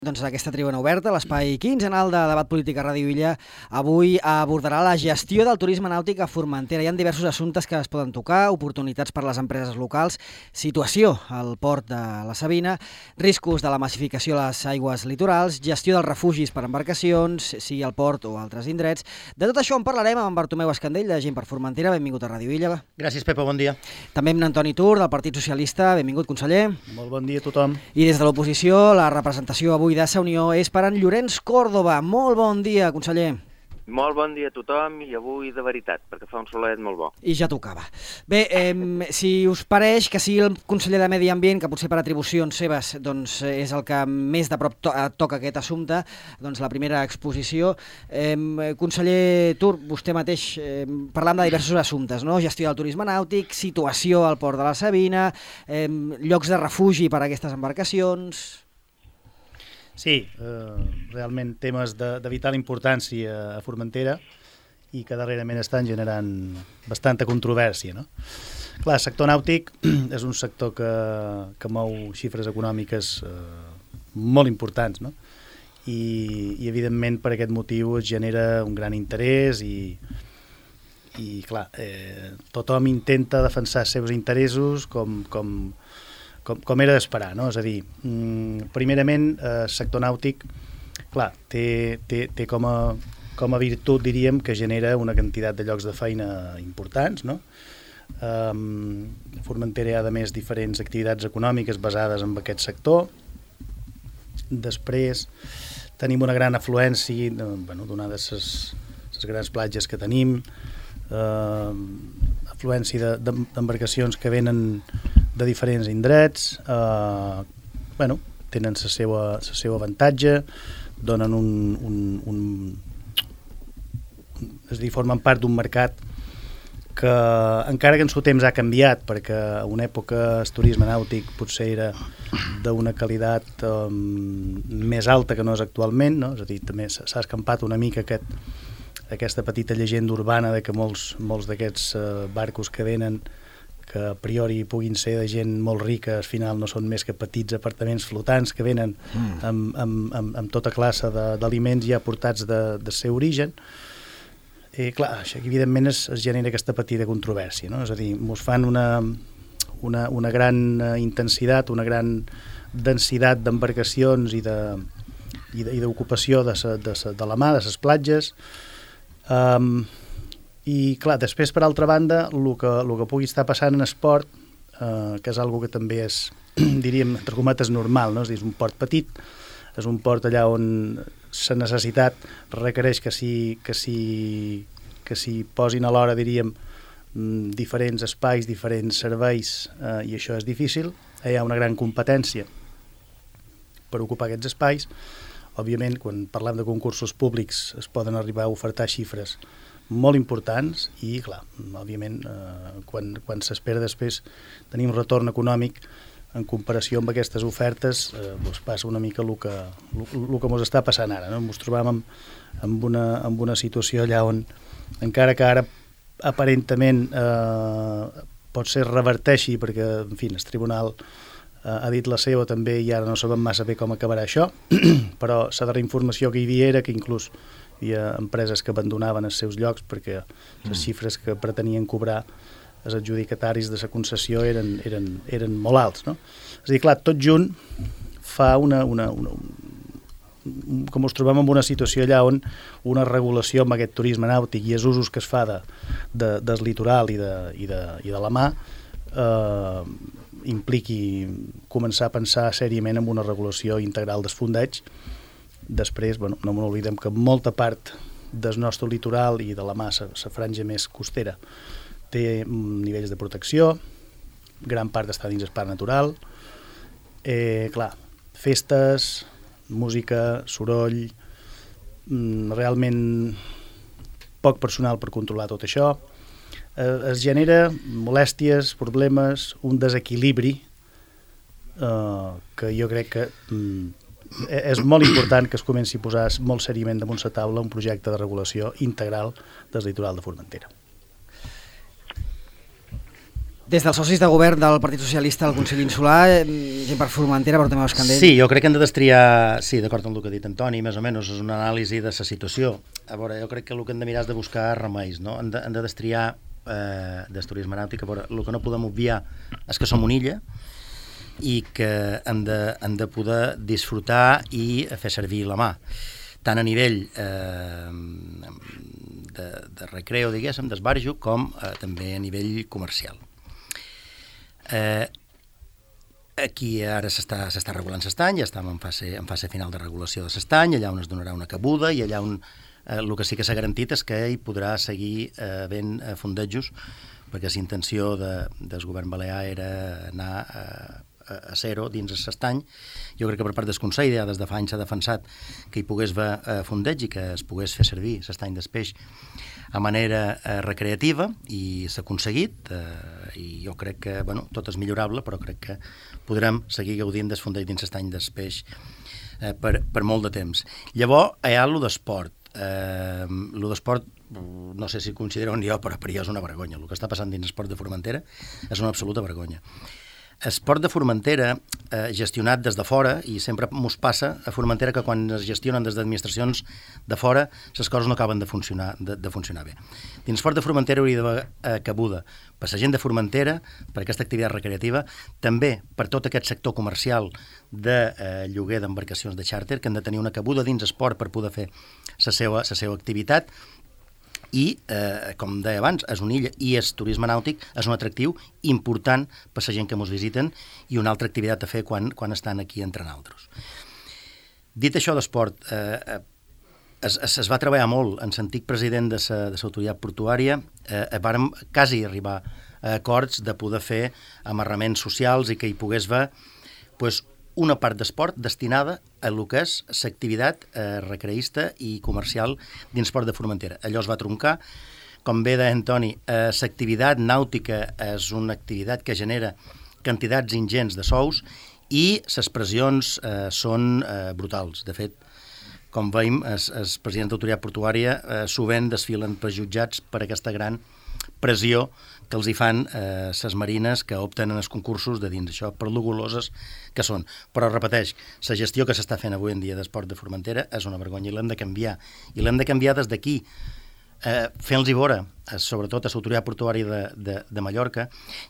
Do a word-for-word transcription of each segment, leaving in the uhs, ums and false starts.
Doncs aquesta tribuna oberta, l'espai quinzenal de debat polític a Ràdio Illa, avui abordarà la gestió del turisme nàutic a Formentera. Hi ha diversos assumptes que es poden tocar, oportunitats per a les empreses locals, situació al port de la Sabina, riscos de la massificació a les aigües litorals, gestió dels refugis per embarcacions, sigui al port o altres indrets. De tot això en parlarem amb en Bartomeu Escandell, de Gent per Formentera. Benvingut a Ràdio Illa. Gràcies, Pepa, bon dia. També amb Antoni Tur, del Partit Socialista. Benvingut, conseller. Molt bon dia a tothom. I des de l'oposició, la representació avui de Sa Unió és per en Llorenç Còrdova. Molt bon dia, conseller. Molt bon dia a tothom i avui de veritat, perquè fa un solet molt bo. I ja tocava. Bé, eh, si us pareix que sigui el conseller de Medi Ambient, que potser per atribucions seves doncs, és el que més de prop to toca aquest assumpte, doncs la primera exposició. Eh, conseller Tur, vostè mateix, eh, parlant de diversos assumptes, no? Gestió del turisme nàutic, situació al port de la Sabina, eh, llocs de refugi per a aquestes embarcacions... Sí, eh, realment temes de, de vital importància a Formentera i que darrerament estan generant bastanta controvèrsia, no? Clar, el sector nàutic és un sector que, que mou xifres econòmiques eh, molt importants, no? I, i evidentment per aquest motiu es genera un gran interès i, i clar, eh, tothom intenta defensar els seus interessos com... com Com, com era d'esperar, no? És a dir, primerament, el sector nàutic, clar, té, té, té com, a, com a virtut, diríem, que genera una quantitat de llocs de feina importants, no? Um, a Formentera hi ha, a més, diferents activitats econòmiques basades en aquest sector. Després, tenim una gran afluència, bueno, donades les grans platges que tenim, uh, afluència d'embarcacions que venen de diferents indrets, eh, bueno, tenen la seva, la seva avantatge, donen un, un, un, és a dir, formen part d'un mercat que encara que en seu temps ha canviat, perquè a una època el turisme nàutic potser era d'una qualitat um, més alta que no és actualment, no? És a dir, també s'ha escampat una mica aquest, aquesta petita llegenda urbana de que molts, molts d'aquests uh, barcos que venen que a priori puguin ser de gent molt rica, al final no són més que petits apartaments flotants que venen mm. amb, amb, amb, amb tota classe d'aliments ja portats de, de seu origen. I clar, això evidentment es, es genera aquesta petita controvèrsia, no? És a dir, ens fan una, una, una gran intensitat, una gran densitat d'embarcacions i d'ocupació de, de, de, de, de la mà, de les platges. Um, I, clar, després, per altra banda, el que, el que pugui estar passant en esport, eh, que és algo que també és, diríem, entre cometes, normal, no? És dir, és un port petit, és un port allà on la necessitat requereix que s'hi que s'hi que s'hi posin alhora, diríem, diferents espais, diferents serveis, eh, i això és difícil. Hi ha una gran competència per ocupar aquests espais. Òbviament, quan parlem de concursos públics, es poden arribar a ofertar xifres molt importants i, clar, òbviament, eh, quan, quan s'espera després tenir un retorn econòmic en comparació amb aquestes ofertes, eh, doncs passa una mica el que, el, el que ens està passant ara, no? Ens trobam amb, amb, una, amb una situació allà on, encara que ara aparentament eh, pot ser reverteixi, perquè, en fi, el tribunal eh, ha dit la seva també i ara no sabem massa bé com acabarà això, però la darrera informació que hi havia era que inclús hi havia empreses que abandonaven els seus llocs perquè les xifres que pretenien cobrar els adjudicataris de la concessió eren, eren, eren molt alts, no? És a dir, clar, tot junt fa una, una, una, un, com ens trobem en una situació allà on una regulació amb aquest turisme nàutic i els usos que es fa de, de, del litoral i de, i de, i de la mà eh, impliqui començar a pensar sèriament en una regulació integral dels fondeig. Després, bueno, no m'oblidem que molta part del nostre litoral i de la mà, la franja més costera, té nivells de protecció, gran part està dins el parc natural. Eh, clar, festes, música, soroll, realment poc personal per controlar tot això. Eh, es genera molèsties, problemes, un desequilibri eh, que jo crec que mm, és molt important que es comenci a posar molt seriament damunt la taula un projecte de regulació integral del litoral de Formentera. Des dels socis de govern del Partit Socialista al Consell Insular, gent per Formentera, però també Euscandell. Sí, jo crec que hem de destriar, sí, d'acord amb el que ha dit Antoni, més o menys, és una anàlisi de la situació. A veure, jo crec que el que hem de mirar és de buscar remeis, no? Hem de, hem de destriar eh, del turisme nàutic. A veure, el que no podem obviar és que som una illa i que hem de, hem de poder disfrutar i fer servir la mà, tant a nivell eh, de, de recreo, diguéssim, d'esbarjo, com eh, també a nivell comercial. Eh, aquí ara s'està s'està regulant l'estany, ja estem en fase, en fase final de regulació de l'estany, allà on es donarà una cabuda i allà on eh, el que sí que s'ha garantit és que hi podrà seguir eh, havent eh, fondejos, perquè la intenció de, del govern balear era anar a, a zero dins l'estany. Jo crec que per part del Consell ja des de fa anys s'ha defensat que hi pogués haver eh, fondeig i que es pogués fer servir l'estany del peix a manera eh, recreativa, i s'ha aconseguit, eh, i jo crec que, bueno, tot és millorable, però crec que podrem seguir gaudint del fondeig dins l'estany del peix eh, per, per molt de temps. Llavors, hi ha allò d'esport. Eh, allò d'esport, no sé si considereu jo, però per jo és una vergonya. El que està passant dins l'esport de Formentera és una absoluta vergonya. Esport de Formentera, eh, gestionat des de fora, i sempre mos passa a Formentera que quan es gestionen des d'administracions de fora, les coses no acaben de funcionar, de, de funcionar bé. Dins Esport de Formentera hauria d'haver eh, cabuda per la gent de Formentera, per aquesta activitat recreativa, també per tot aquest sector comercial de eh, lloguer d'embarcacions de xàrter, que han de tenir una cabuda dins esport per poder fer la seva, la seva activitat. I, eh, com deia abans, és una illa i el turisme nàutic és un atractiu important per la gent que ens visiten i una altra activitat a fer quan, quan estan aquí entre nosaltres. Dit això d'esport, eh, es, es, es va treballar molt en l'antic president de l'autoritat portuària, eh, vàrem quasi arribar a acords de poder fer amarraments socials i que hi pogués haver pues, una part d'esport destinada a lo que és l'activitat eh, recreista i comercial dins Esport de Formentera. Allò es va troncar. Com bé deia Antoni, eh, l'activitat nàutica és una activitat que genera quantitats ingents de sous i les pressions eh, són eh, brutals. De fet, com veiem, el president d'autoritat portuària eh, sovint desfilen per jutjats per aquesta gran pressió que els hi fan eh, ses marines que opten en els concursos de dins això, per lo goloses que són. Però, repeteix, la gestió que s'està fent avui en dia d'Esport de Formentera és una vergonya i l'hem de canviar. I l'hem de canviar des d'aquí, eh, fent-los veure, eh, sobretot a l'autoritat portuària de, de, de Mallorca,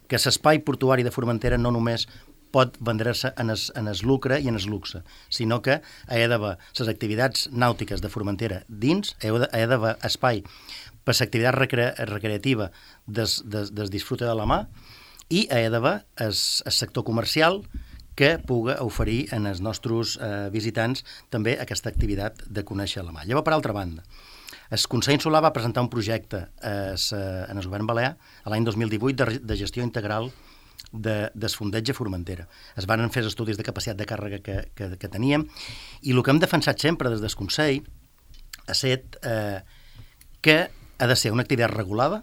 que l'espai portuari de Formentera no només pot vendre-se en el, en el lucre i en el luxe, sinó que hi ha d'haver les activitats nàutiques de Formentera dins, hi ha d'haver espai per l'activitat recre recreativa des, des, des disfrute de la mà, i hi ha d'haver el, el sector comercial que pugui oferir en els nostres eh, visitants també aquesta activitat de conèixer la mà. Llavors, per altra banda, el Consell Insular va presentar un projecte eh, en el govern balear l'any dos mil divuit de, de gestió integral de, del fondeig a Formentera. Es van fer estudis de capacitat de càrrega que, que, que teníem, i el que hem defensat sempre des del Consell ha estat eh, que ha de ser una activitat regulada,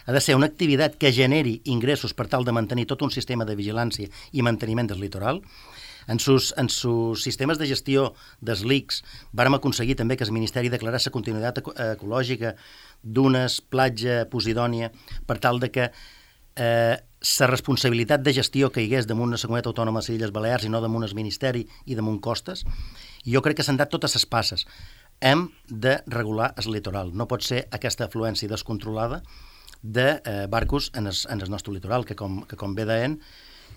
ha de ser una activitat que generi ingressos per tal de mantenir tot un sistema de vigilància i manteniment del litoral. En sus, en sus sistemes de gestió dels L I Cs vàrem aconseguir també que el Ministeri declarés la continuïtat ecològica d'unes platja posidònia per tal de que eh, la responsabilitat de gestió que hi hagués damunt una comunitat autònoma de les Illes Balears i no damunt el Ministeri i damunt costes. I jo crec que s'han dat totes les passes. Hem de regular el litoral. No pot ser aquesta afluència descontrolada de eh, barcos en el, en el nostre litoral, que com, que com bé deien,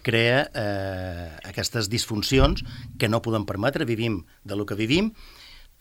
crea eh, aquestes disfuncions que no podem permetre. Vivim de lo que vivim,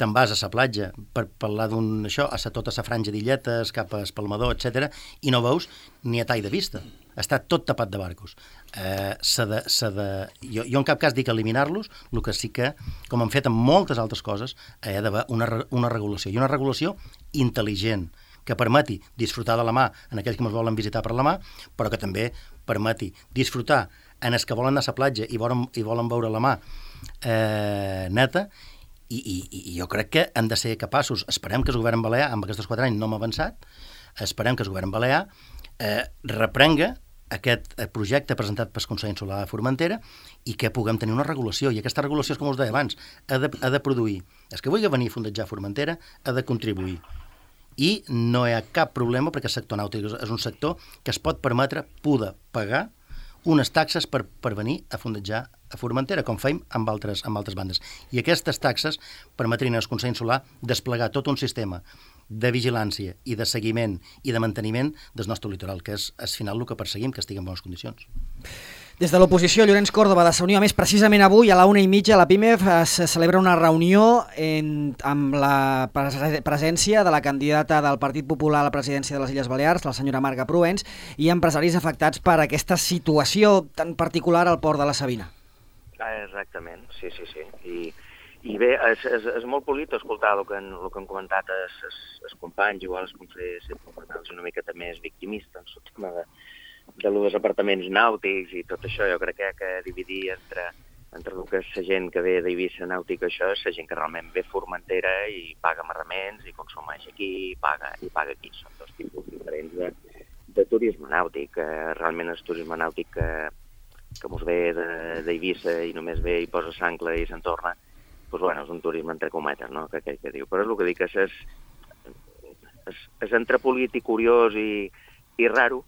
te'n vas a la platja per parlar d'un això, a tota la franja d'illetes, cap a Espalmador, etcètera, i no veus ni a tall de vista. Està tot tapat de barcos. Eh, s'ha de, s'ha de, jo, jo en cap cas dic eliminar-los, el que sí que, com han fet amb moltes altres coses, hi ha d'haver una, una regulació, i una regulació intel·ligent, que permeti disfrutar de la mà en aquells que ens volen visitar per la mà, però que també permeti disfrutar en els que volen anar a la platja i volen, i volen veure la mà eh, neta, i, i, i jo crec que hem de ser capaços, esperem que el govern balear, amb aquests quatre anys no hem avançat, esperem que el govern balear eh, reprenga aquest projecte presentat pel Consell Insular de Formentera i que puguem tenir una regulació. I aquesta regulació, com us deia abans, ha de, ha de produir. És que vulgui venir a fondejar Formentera, ha de contribuir. i no hi ha cap problema perquè el sector nàutic és un sector que es pot permetre poder pagar unes taxes per, per venir a fondejar a Formentera, com feim amb altres, amb altres bandes. I aquestes taxes permetrien al Consell Insular desplegar tot un sistema de vigilància i de seguiment i de manteniment del nostre litoral, que és al final el que perseguim, que estigui en bones condicions. Des de l'oposició, Llorenç Córdoba, de Sa Unió, a més, precisament avui, a la una i mitja, a la PIMEF, es celebra una reunió en, amb la presència de la candidata del Partit Popular a la presidència de les Illes Balears, la senyora Marga Proens, i empresaris afectats per aquesta situació tan particular al port de la Sabina. Ah, exactament, sí, sí, sí. I, i bé, és, és, és molt polit escoltar el que han, el que han comentat els, els, els companys, igual els consellers sempre una miqueta més victimistes, en el tema de, de los apartaments nàutics i tot això. Jo crec que, que dividir entre, entre el que és la gent que ve d'Eivissa nàutica, això és la gent que realment ve a Formentera i paga amarraments i consumeix aquí i paga, i paga aquí. Són dos tipus diferents de, de turisme nàutic. Realment el turisme nàutic que que mos ve d'Eivissa i només ve i posa s'ancla i se'n torna, doncs bueno, és un turisme entre cometes, no?, que aquell que diu. Però és el que dic, és, és, és, és entre polític curiós i, i raro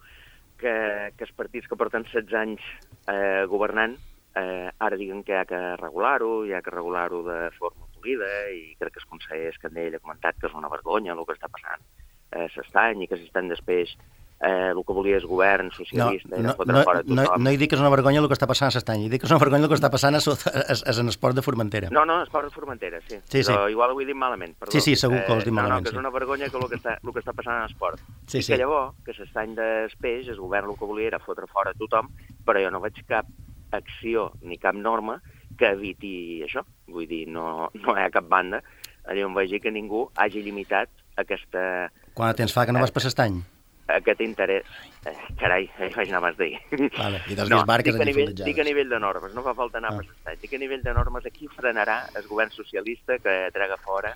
que, que els partits que porten setze anys eh, governant eh, ara diguen que hi ha que regular-ho, hi ha que regular-ho de forma polida, i crec que el conseller Escandell ha comentat que és una vergonya el que està passant a l'Estany i que s'estan després Eh, el que volia el govern socialista no, era fotre no, fora tothom. No, no hi dic que és una vergonya el que està passant a l'Estany, hi dic que és una vergonya el que està passant a, a, a, a l'esport de Formentera. No, no, esport de Formentera, sí. sí, sí. Però igual ho he dit malament, perdó. Sí, sí, segur que ho has dit eh, malament. No, no, que és una vergonya que el que està, el que està passant a l'esport. Sí, I sí. que llavors, que l'estany d'Espeix, el govern el que volia era fotre fora tothom, però jo no veig cap acció ni cap norma que eviti això. Vull dir, no, no hi ha cap banda allà on vegi que ningú hagi limitat aquesta... Quant temps fa que no vas per l'Estany? Aquest interès... Eh, carai, eh, vaig anar abans d'ahir. Vale, i dels no, barques dic a, nivell, fondejades. dic a nivell de normes, no fa falta anar ah. per l'Estat. Dic a nivell de normes, aquí frenarà el govern socialista que trega fora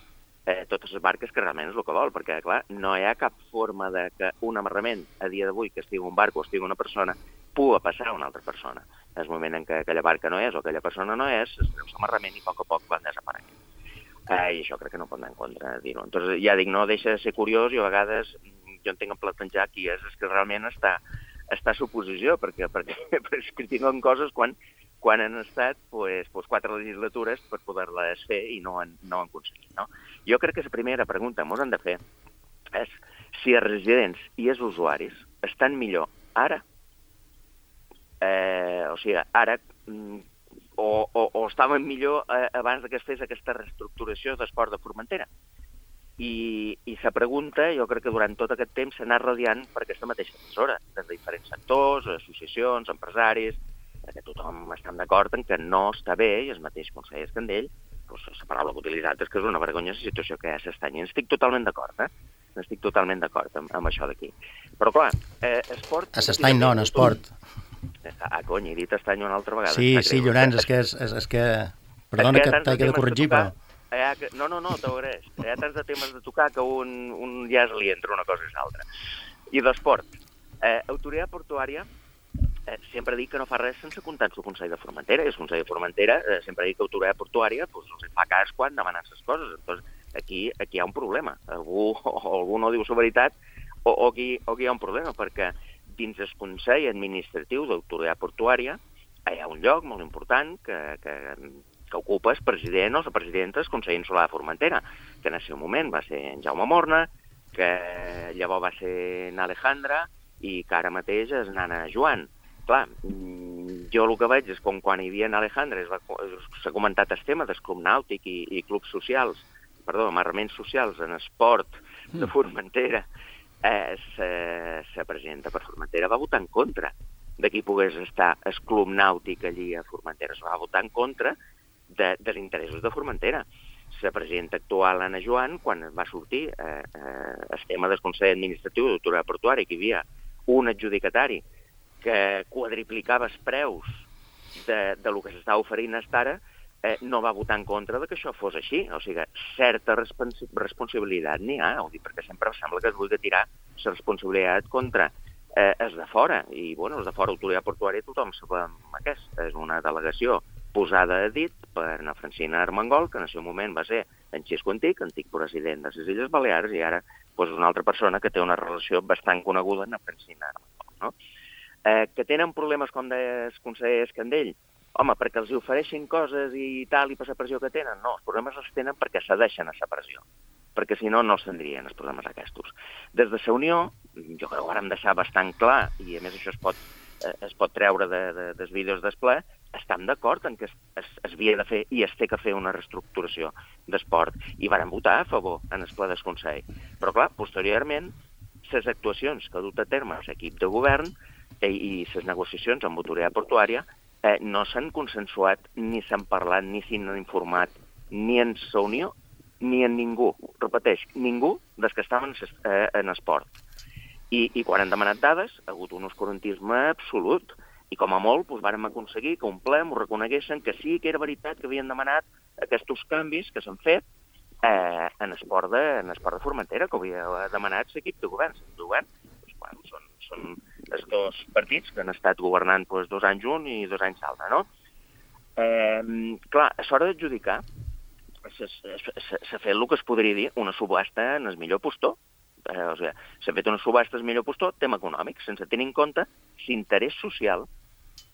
eh, totes les barques, que realment és el que vol, perquè, clar, no hi ha cap forma de que un amarrament, a dia d'avui, que estigui un barco o estigui una persona, pugui passar a una altra persona. En el moment en què aquella barca no és o aquella persona no és, es treu l'amarrament i a poc a poc van desapareixent. Eh, I això crec que no pot anar en contra de dir-ho. Entonces, ja dic, no deixa de ser curiós i a vegades jo entenc en plantejar qui és, és que realment està, està a suposició, perquè, perquè, perquè es critiquen coses quan, quan han estat pues, pues, quatre legislatures per poder-les fer i no han, no han aconseguit. No? Jo crec que la primera pregunta que ens hem de fer és si els residents i els usuaris estan millor ara, eh, o sigui, ara, o, o, o estaven millor eh, abans que es fes aquesta reestructuració d'esport de Formentera. I, i la pregunta, jo crec que durant tot aquest temps s'ha anat radiant per aquesta mateixa emissora, des de diferents sectors, associacions, empresaris, que tothom està d'acord en que no està bé, i el mateix conseller Escandell, doncs, la paraula que ha utilitzat és que és una vergonya la situació que hi ha a l'Estany. Estic totalment d'acord, eh? Estic totalment d'acord amb, amb això d'aquí. Però clar, eh, esport... A l'Estany no, en esport. Ah, cony, he dit Estany una altra vegada. Sí, sí, Llorenç, és que... És, és, és que... Perdona que t'he de corregir, però... Ha, no, no, no, t'agraeix. Hi ha tants de temes de tocar que un, un ja es li entra una cosa i l'altra. I d'esport. Eh, autoritat portuària eh, sempre dic que no fa res sense comptar el Consell de Formentera. I el Consell de Formentera eh, sempre dic que autoritat portuària pues, els fa cas quan demanen les coses. Entonces, aquí, aquí hi ha un problema. Algú, o algú no diu la veritat o, o, aquí, o aquí hi ha un problema, perquè dins el Consell Administratiu d'Autoritat Portuària hi ha un lloc molt important que... que que ocupa el president o la presidenta del Consell Insular de Formentera, que en el seu moment va ser en Jaume Morna, que llavors va ser en Alejandra i que ara mateix és nana Joan. Clar, jo el que veig és com quan hi havia en Alejandra s'ha comentat el tema del club nàutic i, i clubs socials, perdó, amarraments socials en esport de Formentera, eh, la presidenta per Formentera va votar en contra de qui pogués estar el club nàutic allí a Formentera. Es va votar en contra de, dels interessos de Formentera. La presidenta actual, Anna Joan, quan va sortir eh, eh, el tema del Consell Administratiu d'Autoritat Portuària, que hi havia un adjudicatari que quadriplicava els preus de, de lo que s'estava oferint fins ara, eh, no va votar en contra de que això fos així. O sigui, certa respons responsabilitat n'hi ha, ho dic perquè sempre sembla que es vulgui tirar la responsabilitat contra eh, els de fora. I, bueno, els de fora, Autoritat Portuària, tothom sabem aquest. És una delegació posada a dit per na Francina Armengol, que en el seu moment va ser en Xisco Antic, antic president de les Illes Balears, i ara doncs, una altra persona que té una relació bastant coneguda amb na Francina Armengol. No? Eh, que tenen problemes, com deia el conseller Escandell? Home, perquè els ofereixin coses i tal, i per la pressió que tenen? No, els problemes els tenen perquè cedeixen a la pressió, perquè si no, no els tindrien els problemes aquests. Des de la Unió, jo crec que ho vam deixar bastant clar, i a més això es pot, eh, es pot treure de, de, dels vídeos del ple, estem d'acord en que es, es, es havia de fer i es té que fer una reestructuració d'esport, i varen votar a favor en el ple del Consell. Però clar, posteriorment, les actuacions que ha dut a terme l'equip de govern eh, i les negociacions amb Autoridad Portuària eh, no s'han consensuat, ni s'han parlat, ni s'han informat, ni en la Unió, ni en ningú, repeteix, ningú des que estaven eh, en esport. I, I quan han demanat dades, ha hagut un oscurantisme absolut. I com a molt, doncs, vàrem aconseguir que un ple m'ho reconeguessin que sí que era veritat que havien demanat aquests canvis que s'han fet eh, en, esport de, en esport de Formentera, que havia demanat l'equip de govern. De govern doncs, bueno, són, són els dos partits que han estat governant doncs, dos anys un i dos anys l'altre, no? Eh, clar, a l'hora d'adjudicar, s'ha fet el que es podria dir una subhasta en el millor postor. Eh, o sigui, s'ha fet una subhasta en el millor postor, tema econòmic, sense tenir en compte l'interès social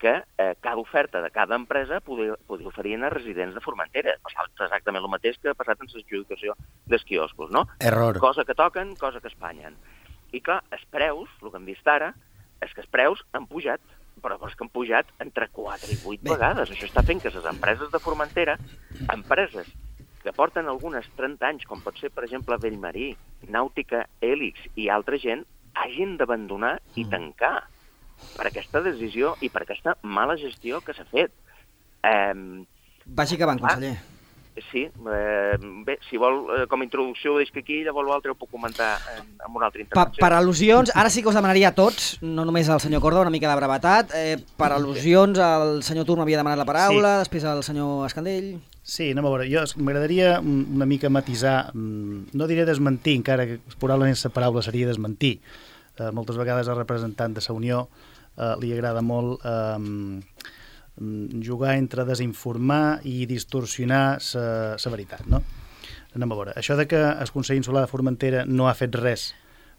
que eh, cada oferta de cada empresa podia, podia oferir a residents de Formentera. És exactament el mateix que ha passat en l'adjudicació dels quioscos, no? Error. Cosa que toquen, cosa que espanyen. I clar, els preus, el que hem vist ara, és que els preus han pujat, però és que han pujat entre quatre i vuit vegades. Això està fent que les empreses de Formentera, empreses que porten algunes trenta anys, com pot ser, per exemple, Bellmarí, Nàutica, Hèlix i altra gent, hagin d'abandonar i tancar per aquesta decisió i per aquesta mala gestió que s'ha fet. Eh, Vagi acabant, conseller. Sí, eh, bé, si vol, eh, com a introducció ho deixo aquí, llavors l'altre ho puc comentar en, en una altra intervenció. Per, per al·lusions, ara sí que us demanaria a tots, no només al senyor Córdoba, una mica de brevetat, eh, per al·lusions el senyor Turm havia demanat la paraula, sí. Després el senyor Escandell... Sí, anem a veure, jo m'agradaria una mica matisar, no diré desmentir, encara que probablement la paraula seria desmentir. Eh, moltes vegades al representant de la Unió eh, li agrada molt eh, jugar entre desinformar i distorsionar la veritat, no? Anem a veure, això de que el Consell Insular de Formentera no ha fet res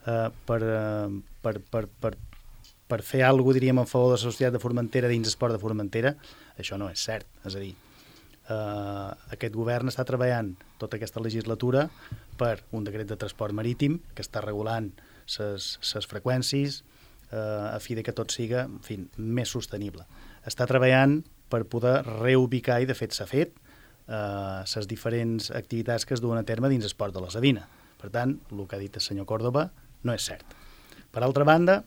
eh, per, eh, per, per, per, per fer alguna cosa, diríem, en favor de la societat de Formentera dins l'esport de Formentera, això no és cert, és a dir, Uh, aquest govern està treballant tota aquesta legislatura per un decret de transport marítim que està regulant les freqüències uh, a fi de que tot siga, en fi, més sostenible. Està treballant per poder reubicar, i de fet s'ha fet, les uh, diferents activitats que es duen a terme dins l'esport de la Sabina. Per tant, el que ha dit el senyor Córdoba no és cert. Per altra banda,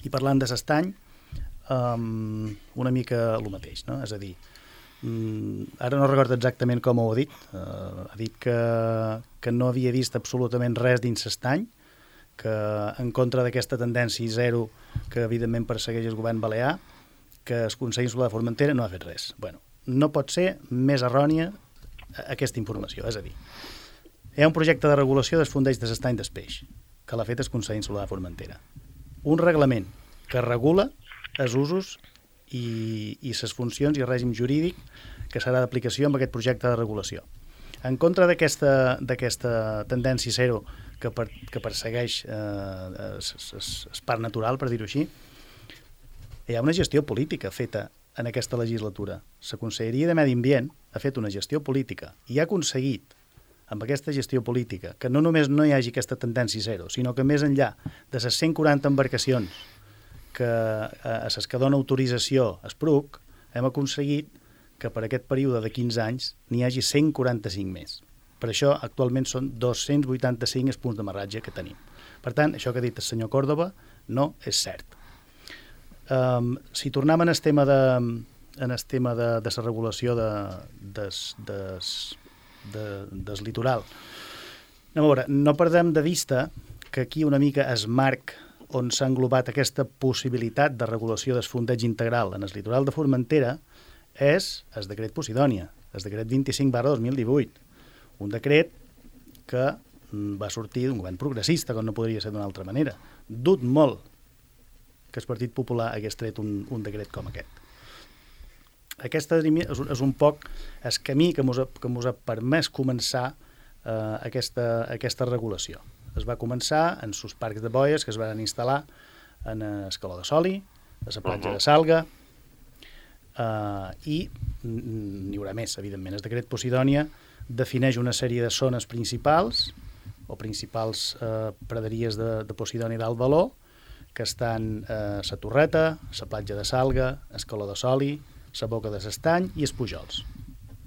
i parlant de l'estany, um, una mica el mateix, no? És a dir, Mm, ara no recordo exactament com ho ha dit, uh, ha dit que, que no havia vist absolutament res dins l'estany, que en contra d'aquesta tendència zero que evidentment persegueix el govern balear, que el Consell Insular de Formentera no ha fet res. Bueno, no pot ser més errònia aquesta informació, és a dir, hi ha un projecte de regulació dels fondeig de l'estany del peix, que l'ha fet el Consell Insular de Formentera. Un reglament que regula els usos i, i les funcions i el règim jurídic que serà d'aplicació amb aquest projecte de regulació. En contra d'aquesta d'aquesta tendència zero que, per, que persegueix eh, el parc natural, per dir-ho així, hi ha una gestió política feta en aquesta legislatura. La Conselleria de Medi Ambient ha fet una gestió política i ha aconseguit, amb aquesta gestió política, que no només no hi hagi aquesta tendència zero, sinó que més enllà de les cent quaranta embarcacions que a les que dona autorització a Espruc, hem aconseguit que per aquest període de quinze anys n'hi hagi cent quaranta-cinc més. Per això, actualment, són dos-cents vuitanta-cinc els punts d'amarratge que tenim. Per tant, això que ha dit el senyor Córdoba no és cert. Um, si tornem en el tema de, en el tema de, de la regulació de, des, des, de, des litoral, anem a veure, no perdem de vista que aquí una mica es marc on s'ha englobat aquesta possibilitat de regulació del fondeig integral en el litoral de Formentera és el decret Posidònia, el decret vint-i-cinc barra dos mil divuit, un decret que va sortir d'un govern progressista, com no podria ser d'una altra manera. Dut molt que el Partit Popular hagués tret un, un decret com aquest. aquest és, és un poc el camí que mos ha, que mos ha permès començar eh, aquesta, aquesta regulació. Es va començar en sus parcs de boies que es van instal·lar en Escaló de Soli, a la platja de Salga, eh, i n'hi haurà més, evidentment. El decret Posidònia defineix una sèrie de zones principals o principals eh, praderies de, de Posidònia d'alt valor, que estan a la Torreta, la platja de Salga, Escaló de Soli, la Boca de l'Estany i els Pujols.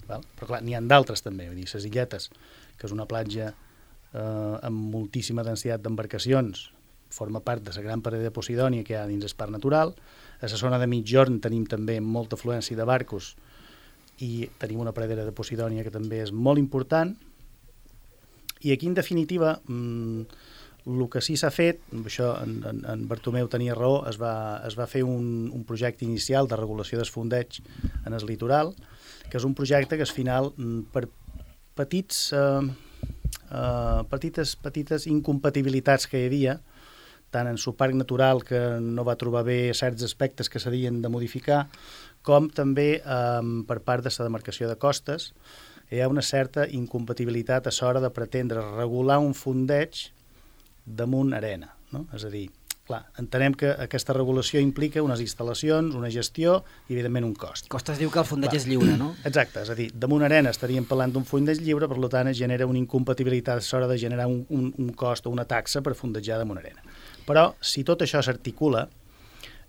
Val? Però clar, n'hi ha d'altres també, vull dir, les Illetes, que és una platja eh, amb moltíssima densitat d'embarcacions, forma part de la gran pradera de Posidònia que hi ha dins el parc natural. A la zona de Migjorn tenim també molta afluència de barcos i tenim una pradera de Posidònia que també és molt important. I aquí, en definitiva, mmm, el que sí s'ha fet, això en, en, en Bartomeu tenia raó, es va, es va fer un, un projecte inicial de regulació del fondeig en el litoral, que és un projecte que al final, per petits, eh, eh, petites, petites incompatibilitats que hi havia, tant en el parc natural, que no va trobar bé certs aspectes que s'havien de modificar, com també eh, per part de la demarcació de costes, hi ha una certa incompatibilitat a l'hora de pretendre regular un fondeig damunt arena, no? És a dir, clar, entenem que aquesta regulació implica unes instal·lacions, una gestió i, evidentment, un cost. Costes diu que el fondeig clar. És lliure, no? Exacte, és a dir, damunt arena estaríem parlant d'un fondeig lliure, per tant, es genera una incompatibilitat a l'hora de generar un, un, un cost o una taxa per fondejar damunt arena. Però, si tot això s'articula,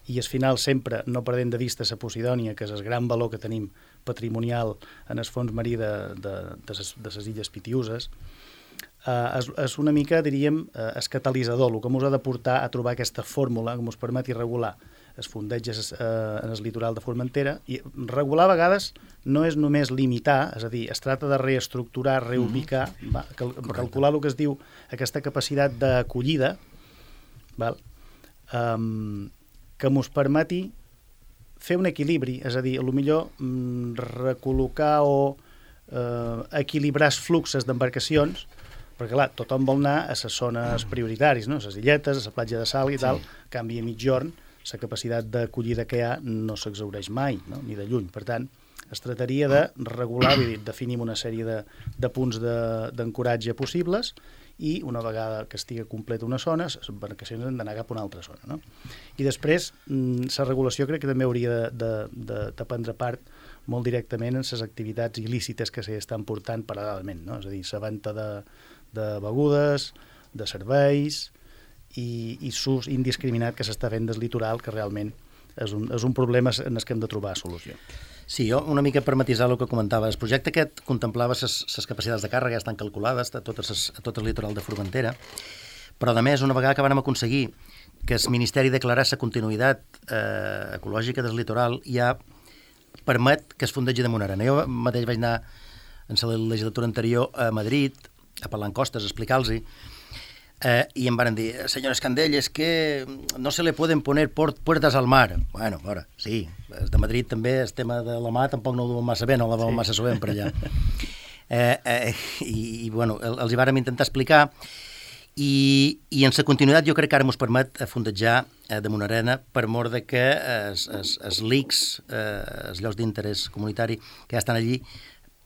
i al final sempre no perdent de vista la Posidònia, que és el gran valor que tenim patrimonial en el fons marí de, de, de, ses, de les illes Pitiüses, Uh, és, és una mica, diríem, uh, el catalitzador, el que ens ha de portar a trobar aquesta fórmula que ens permeti regular els fondeigs uh, en el litoral de Formentera. I regular a vegades no és només limitar, és a dir, es tracta de reestructurar, reubicar, mm-hmm. va, cal, calcular el que es diu aquesta capacitat d'acollida, val? Um, que ens permeti fer un equilibri, és a dir, potser mm, recol·locar o uh, equilibrar els fluxos d'embarcacions, perquè, clar, tothom vol anar a les zones prioritàries, no? A les illetes, a la platja de Sal i tal, sí. Canvi a Migjorn, la capacitat d'acollida que hi ha no s'exhaureix mai, no? Ni de lluny. Per tant, es tractaria de regular, vull dir, definim una sèrie de, de punts d'ancoratge de, possibles i una vegada que estigui completa una zona, les embarcacions han d'anar cap a una altra zona, no? I després, la regulació crec que també hauria de, de, de, de prendre part molt directament en les activitats il·lícites que s'estan portant paral·lelament, no? És a dir, la venda de de begudes, de serveis i, i s'ús indiscriminat que s'està fent del litoral, que realment és un, és un problema en el que hem de trobar solució. Sí, jo una mica per matisar el que comentava. El projecte aquest contemplava les capacitats de càrrega, ja estan calculades a tot, ses, a tot el litoral de Formentera, però a més, una vegada que vam aconseguir que el Ministeri declarés la continuïtat eh, ecològica del litoral, ja permet que es fondegi damunt arena. Jo mateix vaig anar en la legislatura anterior a Madrid a parlar en costes, a explicar-los, eh, i em van dir, senyor Escandell, és que no se le poden poner port, puertas al mar. Bueno, a veure, sí, de Madrid també el tema de la mà tampoc no ho diuen massa bé, no la veuen sí. massa sovint per allà. Eh, eh, i, i, bueno, els hi vàrem intentar explicar, i, i en la continuïtat jo crec que ara ens permet fondejar eh, damunt arena per mort de que els, els, els L I Cs, eh, els llocs d'interès comunitari que ja estan allí,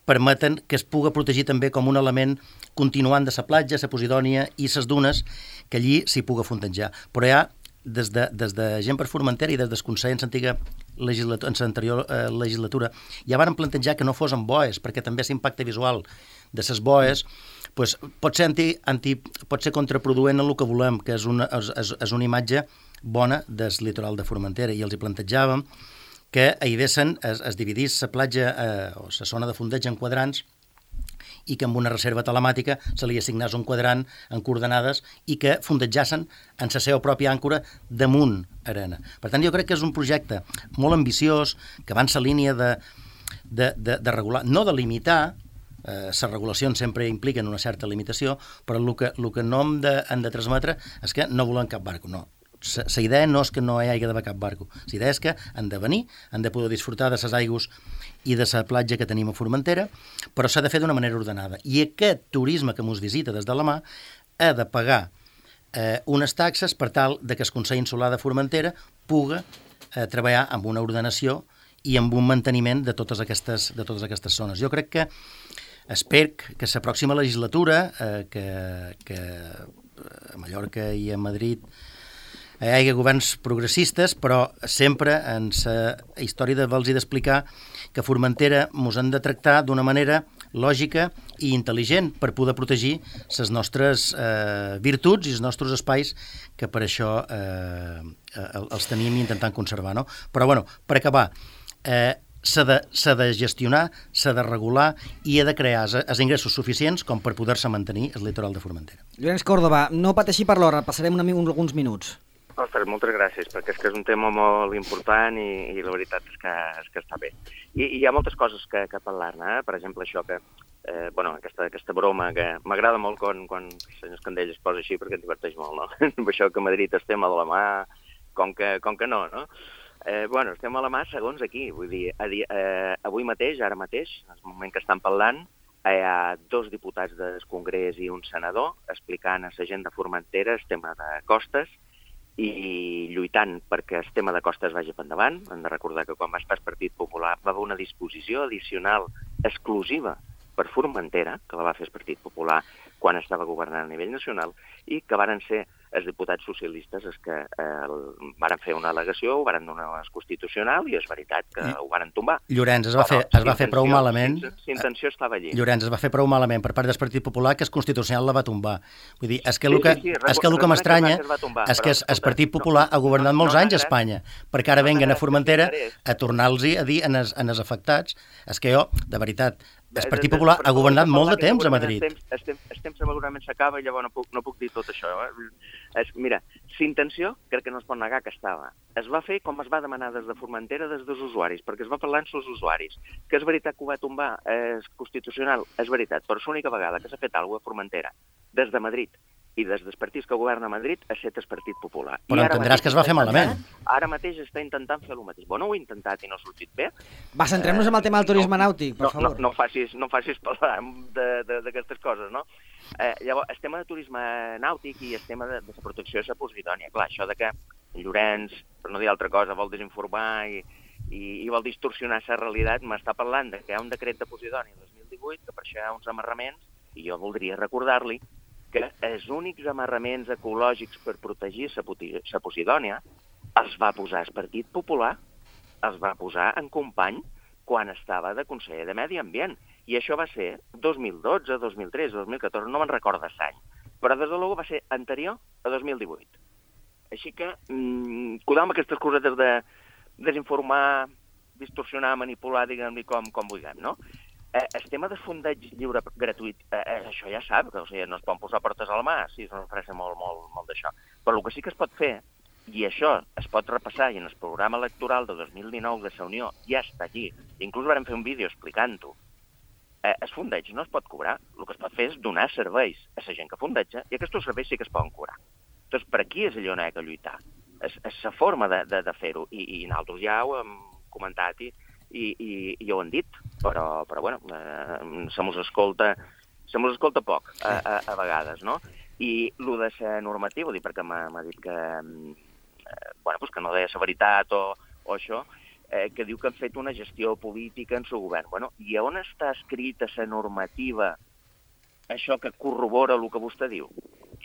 permeten que es puga protegir també com un element continuant de la platja, la Posidònia i les dunes, que allí s'hi puga fondejar. Però ja, des de, des de gent per Formentera i des del Consell en l'antiga legislatura, en l'anterior eh, legislatura, ja van plantejar que no fos amb boes, perquè també l'impacte visual de les boes pues, pot, ser anti, anti, pot ser contraproduent en el que volem, que és una, és, és una imatge bona del litoral de Formentera, i els hi plantejàvem que hi haguessin, es, es dividís la platja eh, o la zona de fondeig en quadrants i que amb una reserva telemàtica se li assignés un quadrant en coordenades i que fondejassen en la seva pròpia àncora damunt arena. Per tant, jo crec que és un projecte molt ambiciós, que va en la línia de, de, de, de regular, no de limitar, eh, les regulacions sempre impliquen una certa limitació, però el que, el que no hem de, hem de transmetre és que no volem cap barco, no. La idea no és que no hi hagi d'haver cap barco, la idea és que han de venir, han de poder disfrutar de les aigües i de la platja que tenim a Formentera, però s'ha de fer d'una manera ordenada. I aquest turisme que ens visita des de la mà ha de pagar eh, unes taxes per tal de que el Consell Insular de Formentera puga eh, treballar amb una ordenació i amb un manteniment de totes aquestes, de totes aquestes zones. Jo crec que espero que s'aproxima legislatura, eh, que, que a Mallorca i a Madrid hi ha governs progressistes, però sempre en la història de vols i d'explicar que Formentera mos han de tractar d'una manera lògica i intel·ligent per poder protegir les nostres eh, virtuts i els nostres espais que per això eh, els tenim intentant conservar. No? Però, bueno, per acabar, eh, s'ha de, s'ha de gestionar, s'ha de regular i ha de crear els ingressos suficients com per poder-se mantenir el litoral de Formentera. Llorenç Córdoba, no pateixi per l'hora, passarem una, alguns minuts. Ostres, moltes gràcies, perquè és que és un tema molt important i, i la veritat és que, és que està bé. I, i hi ha moltes coses que, que parlar-ne, eh? Per exemple, això que, eh, bueno, aquesta, aquesta broma que m'agrada molt quan, quan el senyor Escandell es posa així perquè em diverteix molt, no? Això que Madrid estem a la mà, com que, com que no, no? Eh, bueno, estem a la mà segons aquí, vull dir, a dir eh, avui mateix, ara mateix, en el moment que estan parlant, hi ha dos diputats del Congrés i un senador explicant a la gent de Formentera el tema de costes i lluitant perquè el tema de costes vagi per endavant. Hem de recordar que quan va estar el Partit Popular va haver una disposició addicional exclusiva per Formentera, que la va fer el Partit Popular quan estava governant a nivell nacional, i que varen ser els diputats socialistes els que eh, varen fer una al·legació, ho varen donar a Constitucional i és veritat que ho varen tombar. Llorenç, es va, fer, es va fer prou malament... Si intenció estava allí. Llorenç, es va fer prou malament per part del Partit Popular que el Constitucional la va tombar. Vull dir, és que el que, sí, sí, sí, és que, el que m'estranya és que el Partit Popular ha governat molts anys a Espanya, perquè ara venguen a Formentera a tornar-los a dir en els, en els afectats. És que jo, de veritat, el Partit Popular ha governat molt de temps a Madrid. El temps segurament s'acaba i llavors no puc, no puc dir tot això. Eh? Es, mira, l'intenció crec que no es pot negar que estava. Es va fer com es va demanar des de Formentera des dels usuaris, perquè es va parlar amb els usuaris. Que és veritat que ho va tombar és Constitucional, és veritat, però és l'única vegada que s'ha fet alguna cosa a Formentera des de Madrid i des dels partits que governa Madrid ha estat el Partit Popular. Però entendràs que es va fer malament. Ara mateix està intentant fer el mateix. Bueno, ho he intentat i no ha sortit bé. Va, centrem-nos eh, en el tema del turisme no, nàutic, per no, favor. No, no, facis, no facis parlar d'aquestes coses, no? Eh, llavors, el tema de turisme nàutic i el tema de, de la protecció de la Posidònia. Clar, això de que Llorenç, per no dir altra cosa, vol desinformar i, i, i vol distorsionar la realitat, m'està parlant de que hi ha un decret de Posidònia el dos mil divuit, que per això hi ha uns amarraments, i jo voldria recordar-li que els únics amarraments ecològics per protegir la Posidònia els va posar el Partit Popular, els va posar en company quan estava de conseller de Medi Ambient. I això va ser dos mil dotze, dos mil tretze, dos mil catorze, no me'n recordo l'any. Però des de luego va ser anterior a dos mil divuit. Així que, mmm, cuidado amb aquestes cosetes de desinformar, distorsionar, manipular, diguem-li com, com vulguem, no? Eh, el tema de fondeig lliure gratuït, eh, això ja sap, que o sigui, no es poden posar portes a la mà, sí, és una frase molt, molt, molt d'això. Però el que sí que es pot fer, i això es pot repassar, i en el programa electoral de dos mil dinou de la Unió ja està allí, inclús vam fer un vídeo explicant-ho, eh, el fondeig no es pot cobrar, el que es pot fer és donar serveis a la gent que fondeja, i aquests serveis sí que es poden cobrar. Doncs per aquí és allò on hi ha que lluitar. És, és la forma de, de, de fer-ho, i, i nosaltres ja ho hem comentat i I, i, i ho han dit, però, però bueno, eh, se mos escolta, se mos escolta poc a, a, a vegades, no? I el de ser normatiu, dir, perquè m'ha dit que, eh, bueno, pues que no deia la veritat o, o això, eh, que diu que han fet una gestió política en el govern. Bueno, i on està escrita la normativa, això que corrobora el que vostè diu?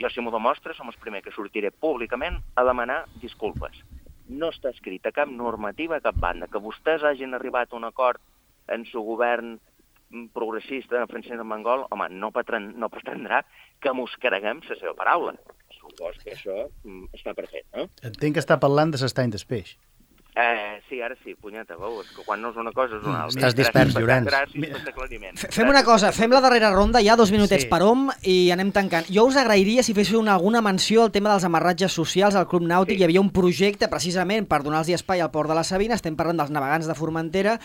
Jo, si m'ho demostra, som els primers que sortiré públicament a demanar disculpes. No està escrita cap normativa a cap banda. Que vostès hagin arribat a un acord en el govern progressista de Francesc Armengol, home, no, patren, no pretendrà que mos creguem la seva paraula. Supos que això està perfecte, no? Entenc que està parlant de l'estany del peix. Eh, sí, ara sí, punyeta, veu, és que quan no és una cosa és una altra. Estàs dispers, Llorenç. Gràcies per l'aclariment. Fem una cosa, fem la darrera ronda, hi ha dos minutets sí. per hom i anem tancant. Jo us agrairia si féssiu una, alguna menció al tema dels amarratges socials al Club Nàutic. Sí. Hi havia un projecte precisament per donar-los espai al Port de la Sabina, estem parlant dels navegants de Formentera,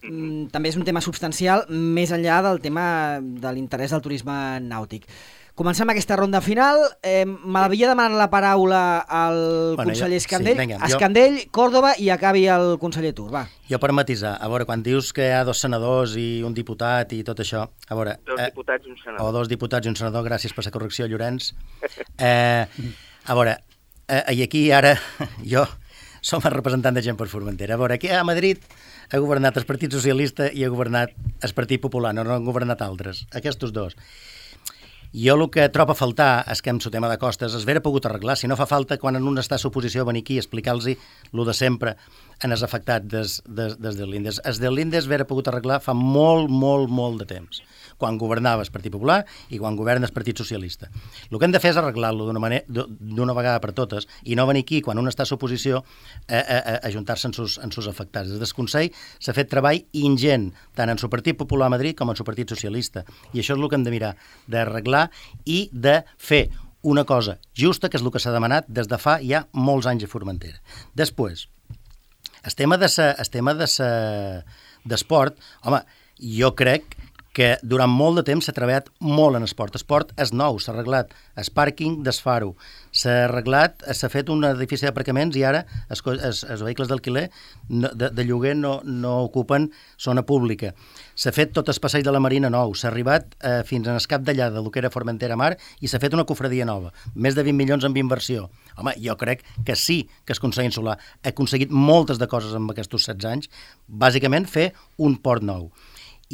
mm, també és un tema substancial, més enllà del tema de l'interès del turisme nàutic. Comencem aquesta ronda final. Eh, M'havia demanat la paraula al bueno, conseller jo, Escandell, sí, venga, Escandell, jo... Córdoba i acabi el conseller Tur. Va. Jo per matisar, a veure, quan dius que hi ha dos senadors i un diputat i tot això, a veure... Dos eh, diputats i un senador. O dos diputats i un senador, gràcies per la correcció, Llorenç. Eh, a veure, eh, i aquí ara jo som el representant de gent per Formentera. A veure, aquí a Madrid ha governat el Partit Socialista i ha governat el Partit Popular, no, no han governat altres, aquests dos. Jo el que trobo a faltar és que amb el tema de costes es vera pogut arreglar. Si no fa falta, quan en un està a l'oposició, venir aquí i explicar-los el de sempre en els afectats des, des, des de l'Índes. Es de l'Índes vera pogut arreglar fa molt, molt, molt de temps, quan governava el Partit Popular i quan governa el Partit Socialista. El que hem de fer és arreglar-lo d'una manera, d'una vegada per totes, i no venir aquí, quan un està a l'oposició, a, a, a ajuntar-se en sus, en sus afectats. Des del Consell s'ha fet treball ingent, tant en el Partit Popular a Madrid com en el Partit Socialista, i això és el que hem de mirar, d'arreglar i de fer una cosa justa, que és el que s'ha demanat des de fa ja molts anys a Formentera. Després, el tema de sa, el tema de sa, d'esport, home, jo crec que durant molt de temps s'ha treballat molt en esport. Esport és nou, s'ha arreglat el pàrquing d'Esfaro, s'ha arreglat, s'ha fet un edifici d'aparcaments i ara els, els, els vehicles d'alquiler de, de lloguer no, no ocupen zona pública. S'ha fet tot el passeig de la Marina nou, s'ha arribat eh, fins en el cap d'allà del que era Formentera Mar i s'ha fet una cofradia nova, més de vint milions en inversió. Home, jo crec que sí que el Consell Insular ha aconseguit moltes de coses en aquests setze anys, bàsicament fer un port nou.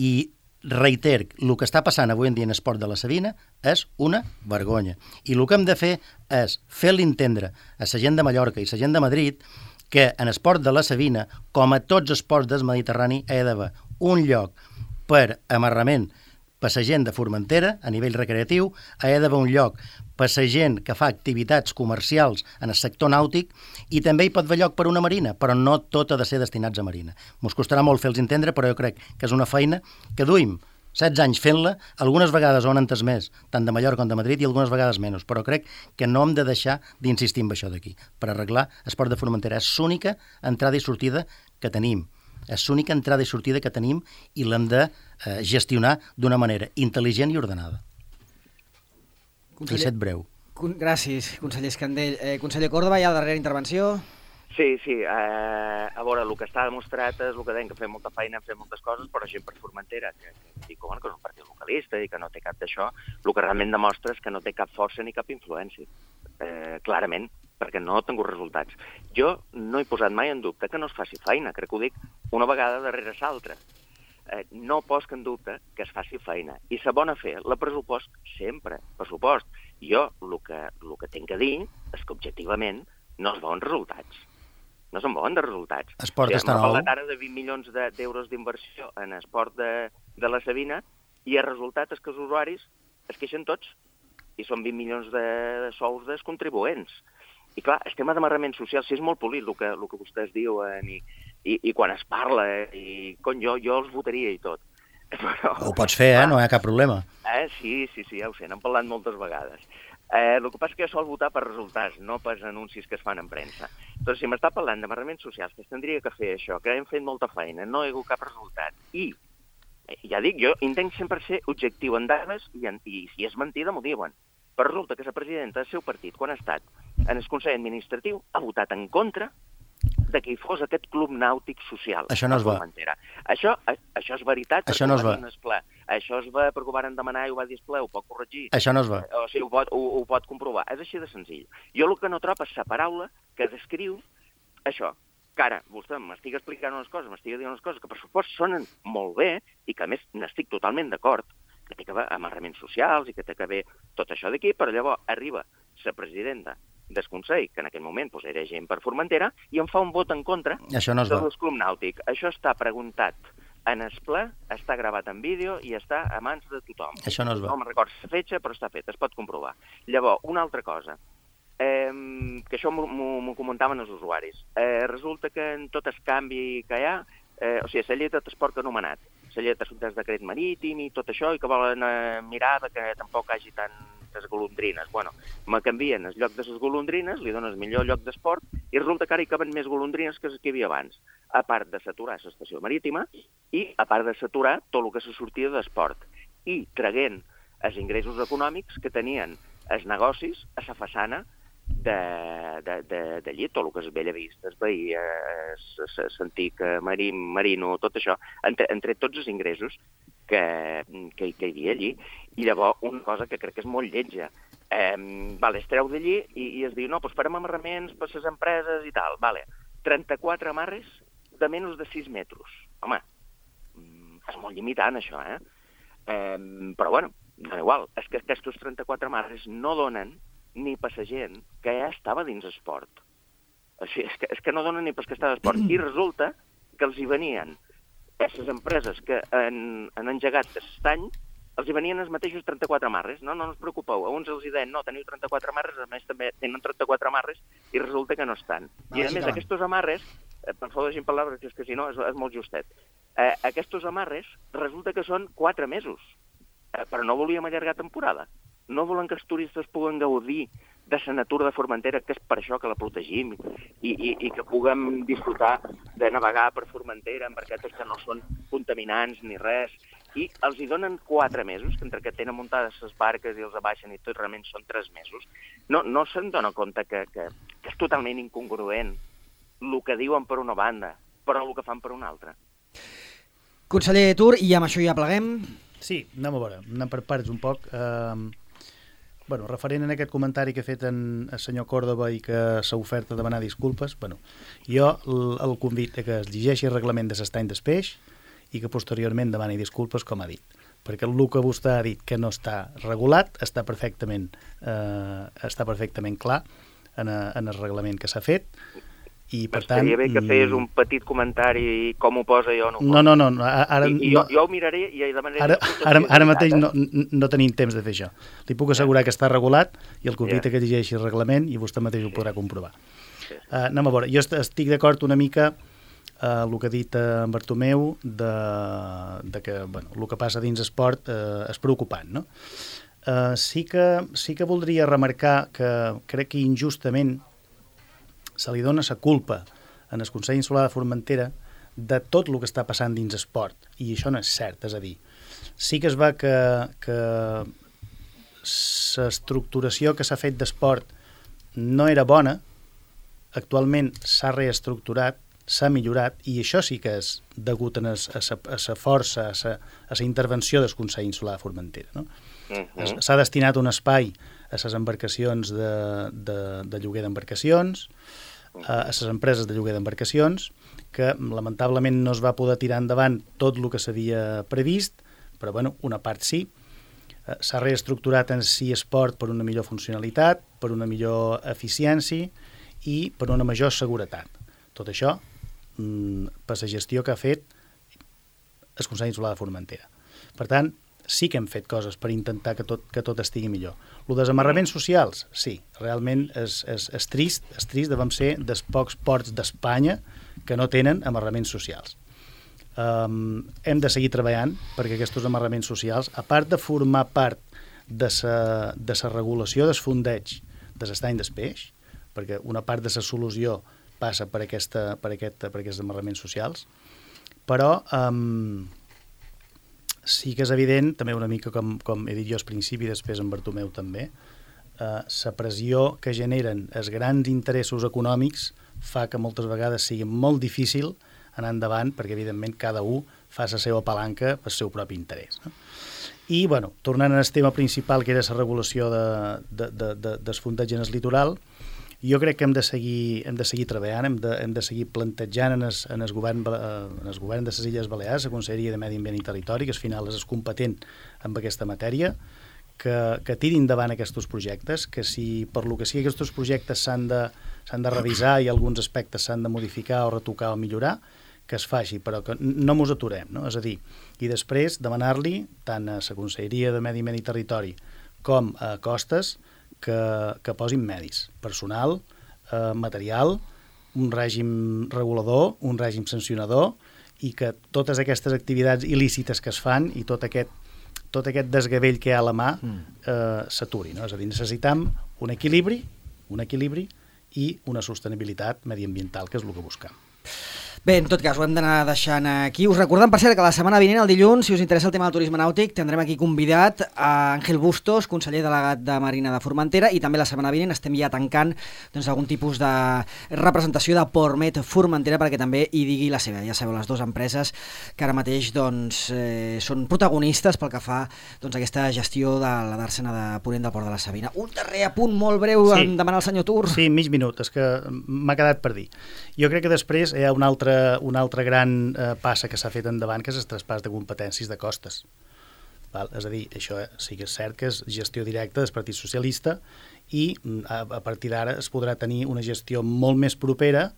I reiter, el que està passant avui en dia en esport de la Sabina és una vergonya. I el que hem de fer és fer-li entendre a la gent de Mallorca i la gent de Madrid que en esport de la Sabina, com a tots els ports del Mediterrani, hi ha d'haver un lloc per amarrament per la gent de Formentera, a nivell recreatiu, hi ha d'haver un lloc per la gent que fa activitats comercials en el sector nàutic i també hi pot haver lloc per una marina, però no tot ha de ser destinats a marina. Mos costarà molt fer-los entendre, però jo crec que és una feina que duim setze anys fent-la, algunes vegades ho han entès més, tant de Mallorca com de Madrid, i algunes vegades menys, però crec que no hem de deixar d'insistir en això d'aquí, per arreglar l'esport de Formentera. És l'única entrada i sortida que tenim. És l'única entrada i sortida que tenim i l'hem de eh, gestionar d'una manera intel·ligent i ordenada. Conseller... I set breu. Con... Gràcies, conseller Escandell. Eh, conseller Córdoba, hi ha la darrera intervenció. Sí, sí. Eh, a veure, el que està demostrat és el que deien, que fem molta feina, fem moltes coses, però gent per Formentera, que, que, que, bueno, que és un partit localista i que no té cap d'això, el que realment demostra és que no té cap força ni cap influència. Eh, clarament, perquè no ha tingut resultats. Jo no he posat mai en dubte que no es faci feina, crec que ho dic una vegada darrere l'altra. Eh, no poso en dubte que es faci feina. I la bona fe, la pressupost sempre, pressupost. Jo el que, el que tinc a dir és que objectivament no es veuen resultats. No se'n veuen de resultats. Esport o sigui, està nou. M'ha parlat ara de vint milions d'euros d'inversió en esport de, de la Sabina i el resultat és que els usuaris es queixen tots i són vint milions de, de sous dels contribuents. I clar, el tema d'amarrament social, sí, és molt polit el que, el que vostès diuen i, i, i quan es parla, i con, jo, jo els votaria i tot. Però, ho pots fer, eh? No hi ha cap problema. Eh? Sí, sí, sí, ja ho sé, n'hem parlat moltes vegades. Eh, el que passa és que jo sol votar per resultats, no per anuncis que es fan en premsa. Doncs si m'està parlant d'amarraments socials, que es tindria que fer això, que hem fet molta feina, no hi ha hagut cap resultat, i, ja dic, jo intent sempre ser objectiu en dades, i, en, i si és mentida m'ho diuen. Però resulta que la presidenta del seu partit, quan ha estat en el Consell Administratiu, ha votat en contra de que hi fos aquest club nàutic social. Això no es va. Això, això és veritat. Això no es va. Això es va perquè ho van demanar i ho va dir el ple, ho pot corregir. Això no es va. O sigui, ho pot, ho, ho pot comprovar. És així de senzill. Jo el que no trobo és la paraula que descriu això. Que ara, vostè m'estic explicant unes coses, m'estic dient unes coses que per supost sonen molt bé i que a més n'estic totalment d'acord, que té que haver amarraments socials i que té que haver tot això d'aquí, però llavors arriba la presidenta del Consell, que en aquell moment pues, era gent per Formentera, i em fa un vot en contra això no del club nàutic. Això està preguntat en el ple, està gravat en vídeo i està a mans de tothom. Això no es va. No me'n recordo la fetge, però està fet, es pot comprovar. Llavors, una altra cosa, eh, que això m'ho comentaven els usuaris. Eh, resulta que en tot el canvi que hi ha, eh, o sigui, la llei de transport que ha anomenat, la llei de decret marítim i tot això, i que volen eh, mirar que tampoc hi hagi tantes golondrines. Bueno, me canvien el lloc de les golondrines, li donen el millor lloc d'esport, i resulta que ara hi caben més golondrines que les que hi havia abans, a part de saturar l'estació marítima i a part de saturar tot el que se sortia d'esport, i traguent els ingressos econòmics que tenien els negocis a la façana d'allí, tot el que és Bellavista, es veia, l'antic marino, tot això, han tret tots els ingressos que, que, que hi havia allí. I llavors, una cosa que crec que és molt lletja, eh, vale, es treu d'allí i, i es diu, no, doncs farem amarraments per les empreses i tal, vale. trenta-quatre amarres de menys de sis metres. Home, és molt limitant, això, eh? eh però, bueno, no igual. És que aquests trenta-quatre amarres no donen ni per la gent que ja estava dins esport. Així, és, que, és que no donen ni per que estava esport. I resulta que els hi venien aquestes empreses que han, han engegat aquest any, els hi venien els mateixos trenta-quatre amarres. No, no us preocupeu. A uns els hi deien, no, teniu trenta-quatre amarres, a més també tenen trenta-quatre amarres, i resulta que no estan. I a més, aquests amarres, eh, per favor, deixi'm parlar, perquè és que si no és, és molt justet, eh, aquests amarres resulta que són quatre mesos, eh, però no volíem allargar temporada. No volen que els turistes puguen gaudir de la natura de Formentera, que és per això que la protegim, i, i, i que puguem disfrutar de navegar per Formentera en barquetes que no són contaminants ni res, i els hi donen quatre mesos, que entre que tenen muntades les barques i els abaixen i tot, realment són tres mesos. No, no se'n dona compte que, que, que és totalment incongruent el que diuen per una banda, però el que fan per una altra. Conseller Tur, i amb això ja pleguem? Sí, anem a veure, anem per parts un poc. Uh, bueno, referent a aquest comentari que ha fet en, el senyor Córdoba i que s'ha ofert a demanar disculpes, bueno, jo el, el convit a que es llegeixi el reglament de l'estany del peix i que posteriorment demani disculpes, com ha dit. Perquè el que vostè ha dit que no està regulat està perfectament, eh, està perfectament clar en, a, en el reglament que s'ha fet. I, per tant, estaria bé que fes un petit comentari com ho posa jo. No, no, no, no, ara, I, i jo, jo ho miraré i demanaré... Ara, ara, ara mateix no, no tenim temps de fer això. Li puc assegurar que està regulat i el convit yeah. que llegeixi el reglament i vostè mateix ho podrà comprovar. Sí. Uh, anem a veure, jo estic d'acord una mica uh, el que ha dit en Bartomeu de, de que bueno, el que passa dins esport uh, és preocupant, no? Uh, sí, que, sí que voldria remarcar que crec que injustament se li dona la culpa en el Consell Insular de Formentera de tot el que està passant dins esport, i això no és cert, és a dir, sí que es va que, que l'estructuració que s'ha fet d'esport no era bona, actualment s'ha reestructurat, s'ha millorat, i això sí que és degut a la força, a la intervenció del Consell Insular de Formentera, no? Uh-huh. S'ha destinat un espai a les embarcacions de, de, de lloguer d'embarcacions, a les empreses de lloguer d'embarcacions, que lamentablement no es va poder tirar endavant tot el que s'havia previst, però bueno, una part sí. S'ha reestructurat en si esport per una millor funcionalitat, per una millor eficiència i per una major seguretat. Tot això per la gestió que ha fet el Consell Insular de Formentera. Per tant, sí que hem fet coses per intentar que tot, que tot estigui millor. Els desamarraments socials, sí, realment és, és, és trist, és trist, devem ser dels pocs ports d'Espanya que no tenen amarraments socials. Um, hem de seguir treballant perquè aquests amarraments socials, a part de formar part de la de sa regulació del fondeig de l'estany del peix, perquè una part de la solució passa per, aquesta, per, aquest, per aquests amarraments socials, però um, sí que és evident, també una mica com, com he dit jo al principi, després en Bartomeu també, eh, la pressió que generen els grans interessos econòmics fa que moltes vegades sigui molt difícil anar endavant, perquè evidentment cada un fa la seva palanca pel seu propi interès, no? I, bueno, tornant al tema principal, que era la regulació de, de, de, de, del fondeig en el litoral, jo crec que hem de seguir, hem de seguir treballant, hem de, hem de seguir plantejant en el, en, el govern, en el govern de les Illes Balears, la Conselleria de Medi Ambient i Territori, que al final és competent en aquesta matèria, que, que tiri endavant aquests projectes, que si per lo que sigui aquests projectes s'han de, s'han de revisar i alguns aspectes s'han de modificar o retocar o millorar, que es faci, però que no mos aturem, no? És a dir, i després demanar-li tant a la Conselleria de Medi Ambient i Territori com a Costes que, que posin medis, personal, eh, material, un règim regulador, un règim sancionador, i que totes aquestes activitats il·lícites que es fan i tot aquest, tot aquest desgavell que hi ha a la mà eh, s'aturi, no? És a dir, necessitam un equilibri, un equilibri i una sostenibilitat mediambiental, que és el que buscam. Bé, en tot cas, ho hem d'anar deixant aquí. Us recordem, per cert, que la setmana vinent, el dilluns, si us interessa el tema del turisme nàutic, tindrem aquí convidat a Àngel Bustos, conseller delegat de Marina de Formentera, i també la setmana vinent estem ja tancant doncs, algun tipus de representació de Portmet Formentera perquè també hi digui la seva. Ja sabeu, les dues empreses que ara mateix doncs, eh, són protagonistes pel que fa doncs, a aquesta gestió de la dàrsena de Ponent del Port de la Sabina. Un darrer apunt molt breu, sí. Em demana el senyor Tur. Sí, mig minut, és que m'ha quedat per dir. Jo crec que després hi ha una altra, una altra gran eh, passa que s'ha fet endavant, que és el traspàs de competències de costes. Val? És a dir, això sí que és cert que és gestió directa del Partit Socialista i a, a partir d'ara es podrà tenir una gestió molt més propera,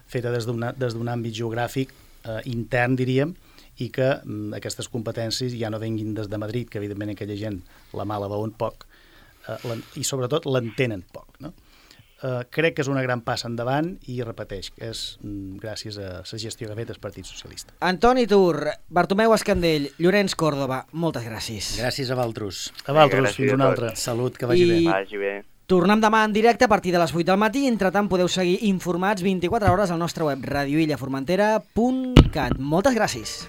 feta des d'un àmbit geogràfic eh, intern, diríem, i que mm, aquestes competències ja no venguin des de Madrid, que evidentment aquella gent la mala veuen poc, eh, i sobretot l'entenen poc, no? Uh, crec que és una gran passa endavant i, repeteix, és mm, gràcies a la gestió que ha fet el Partit Socialista. Antoni Tur, Bartomeu Escandell, Llorenç Còrdova, moltes gràcies. Gràcies a Valtros. A Valtros, fins una altra. Salut, que vagi I... bé. Vagi bé. Tornem demà en directe a partir de les vuit del matí. Entretant, podeu seguir informats vint-i-quatre hores al nostre web radio illa formentera punt cat. Moltes gràcies.